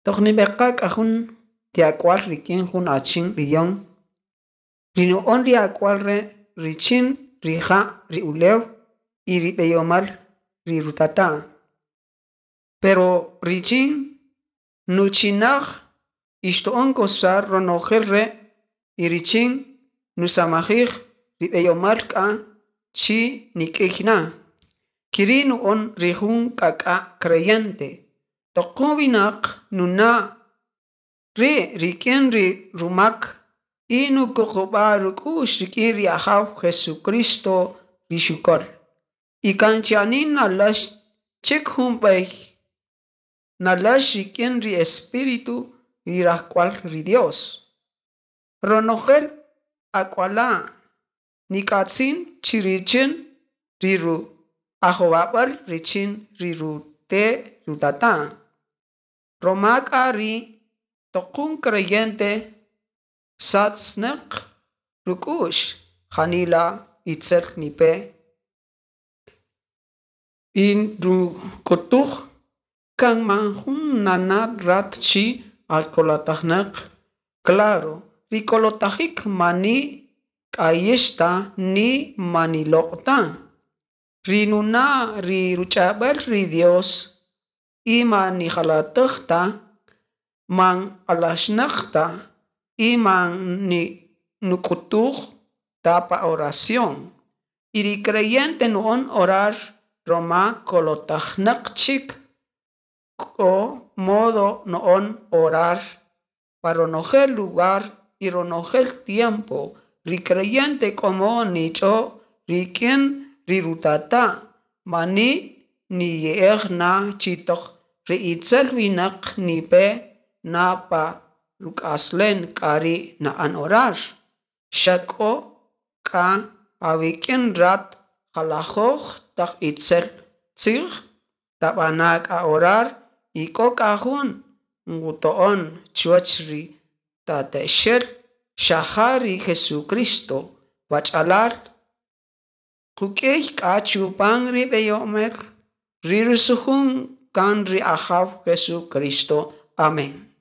Toq nibeqa' k'a jun ti ak'ual rik'in jun achin b'iyon, ri nu'on ri ak'ual re' richin rija' ri ulew y ri b'eyomäl ri rutata'. Pero richin nuchinaj y xtu'on gozar ronojel re' y richin nusamajij ri b'eyomäl k'a chi nik'iy na. Quiri' nu'on ri jun k'ak'a' creyente. Toq jun winäq nuna' ri' rik'in ri rumak y nukuqub'a' ruk'u'x rik'in ri Ajaw Jesucristo ri xuköl. Y kan chi'anin naläx chik jun b'ey, naläx rik'in ri Espíritu ri rajk'wal ri Dios. Ronojel ak'wala' nik'atzin chi richin ri ajowab'äl richin ri rute' rutata'. Roma k'a ri' toq jun creyente satznäq ruk'u'x janila itzel nipe y nuk'utuj kan man jun nana' rat chi atkolotajnäq. Claro, ri kolotajik mani k'ayix ta ni mani loq' ta. Ri nuna' ri ruch'ab'äl ri Dios y man nijalatäj ta, man alaxnäq ta y man ni nuk'utuj ta pa oración. Y ri creyente nu'on orar roma kolotajnäq chik k'o modo no'on orar pa ronojel lugar y ronojel tiempo. Ri creyente k'o modo nich'o rik'in ri rutata' mani niye'ej na chi toq ri itzel winäq nipe na pa ruk'aslen k'a ri' na'än orar. Xa k'o k'a awik'in rat jalajöj taq itzel tzij, tab'ana' k'a orar y k'o k'a jun nqto'on chuwäch ri tata'ixel xa ja ri Jesucristo. Wach'alal, quk'ïy k'a chupam ri b'eyomel ri rusujun kan ri Ajaw Jesucristo. Amén.